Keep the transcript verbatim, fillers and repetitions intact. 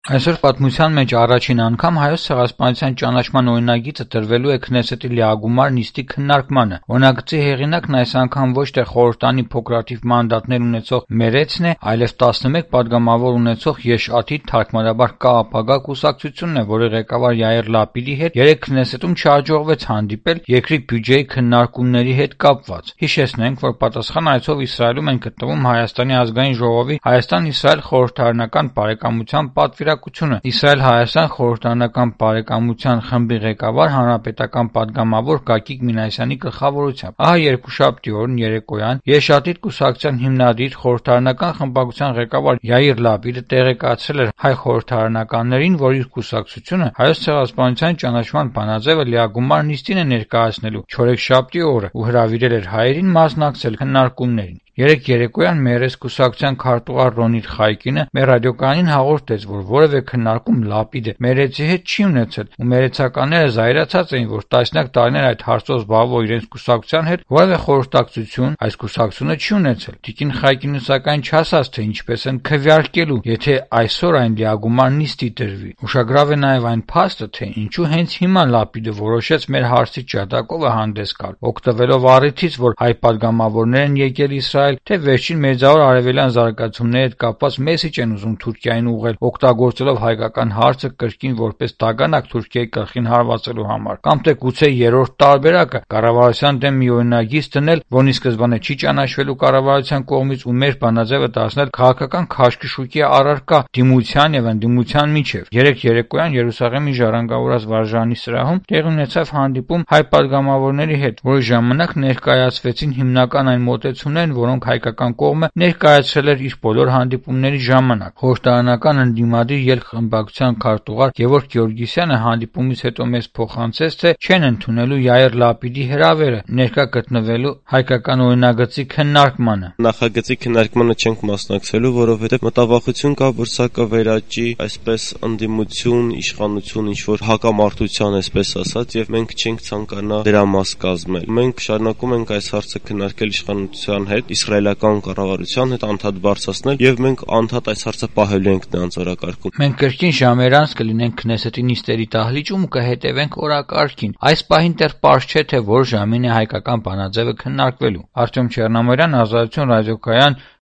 Այսօր պատմության մեջ առաջին անգամ Հայոց ցեղասպանության ճանաչման օրինագիծը տրվելու է Քնեսետի լիագումար նիստի քննարկմանը։ Օրինագծի հեղինակն այս անգամ ոչ թե խորհրդանի փոքրաթիվ մանդատներ ունեցող Մերեցն է, այլև տասնմեկ падգամավոր ունեցող Եշ-Աթիդ թարգմանաբար Կա-ապագա կուսակցությունն է, որի ղեկավար Յայիր Լապիդի հետ երեկ Քնեսետում չհաջողվեց հանդիպել երկրի բյուջեի քննարկումների հետ կապված։ Հիշեցնենք, որ պատասխան այցով Իսրայելում են գտնվում Հայաստանի ազգային ժողովի Հայաստան-Իսրայել խորհրդարանական բարեկամության պատվիրակությունը, Իսրայել-Հայաստան խորհրդարանական բարեկամության խմբի ղեկավար հանրապետական падգամավոր Գագիկ Մինասյանի գլխավորությամբ։ Ահա երկուշաբթի օրն երեկոյան Եշ-Աթիդ կուսակցության հիմնադիր խորհրդարանական խմբակցության ղեկավար Յայիր Լապիդը տեղեկացրել էր հայ խորհրդարանականներին, որ իր կուսակցությունը Հայոց ցեղասպանության ճանաչման բանաձևը լիագումար նիստին է ներկայացնելու չորեքշաբթի օրը ու հրավիրել էր հայերին մասնակցել քննարկումներին։ Երեկ երեկոյան Մերես կուսակցության քարտուղար Ռոնիր Խայկինը մեր ռադիոկայանին հաղորդեց, որ որևէ քննարկում Լապիդը Մերեցի հետ չի ունեցել, ու մերեցականները զայրացած էին, որ տասնյակ տարիներ այդ հարցով զբաղվող իրենց կուսակցության հետ որևէ խորհրդակցություն այս կուսակցությունը չի ունեցել։ Տիկին Խայկինը սակայն չասաց, թե ինչպես են քվեարկելու, եթե այսօր այն լիագումար նիստի դրվի։ Ուշագրավ է նաև այն փաստը, թե ինչու հենց հիմա Լապիդը որոշեց մեր հարցի ջատագովը հանդես գալ, օգտվելով առիթից, որ հայ падգամավորներ են եկել Իսրայել, թե վերջին Մերձավոր Արևելյան զարգացումների հետ կապված մեսիջ են ուզում Թուրքիային ուղղել, օգտագործելով հայկական հարցը կրկին որպես դագանակ Թուրքիայի գլխին հարվածելու համար, կամ թե գուցե երրորդ տարբերակը կառավարության դեմ մի օրինագիծ դնել, որն ի սկզբանե չի ճանաչվելու կառավարության կողմից, ու մեր բանաձևը դարձնել քաղաքական քաշքշուկի առարկա դիմության եւ ընդդիմության միջեւ։ Երեկ երեկոյան Երուսաղեմի ժառանգավորած վարժանի սրահում տեղի ունեցավ հանդիպում հայ падգամավորների հետ, որի ժամանակ ներկայացվեցին հիմնական այն մոտեցումներն, որոնք հայկական կողմը ներկայացրել էր իր բոլոր հանդիպումների ժամանակ։ Խորհրդարանական ընդդիմադիր ելք-խմբակցության քարտուղար Գևորգ Գեորգիսյանը հանդիպումից հետո մեզ փոխանցեց, թե չեն ընդունելու Յայիր Լապիդի հրավերը ներկա գտնվելու հայկական օրինագծի քննարկմանը։ Նախագծի քննարկմանը չենք մասնակցելու, որովհետև մտավախություն կա, որ սա կվերաճի այսպես ընդդիմություն, իշխանություն, ինչ որ հակամարտության, այսպես ասած, եւ մենք չենք ցանկանա դրա մաս կազմել։ Մենք շարունակում ենք այս հարցը քննարկել իշխանության հետ, իսրայելական կառավարության հետ անդադ բարձրացնել, եւ մենք անդադ այս հարցը պահելու ենք նրանց օրակարգում։ Մենք կրկին ժամեր անց կլինենք Քնեսետի նիստերի դահլիճում ու կհետևենք օրակարգին։ Այս պահին դեռ պարզ չէ, թե որ ժամին է հայկական բանաձևը քննարկվելու։ Արտյոմ Չեռնամիրյան, Ազատություն ռադիոկայան,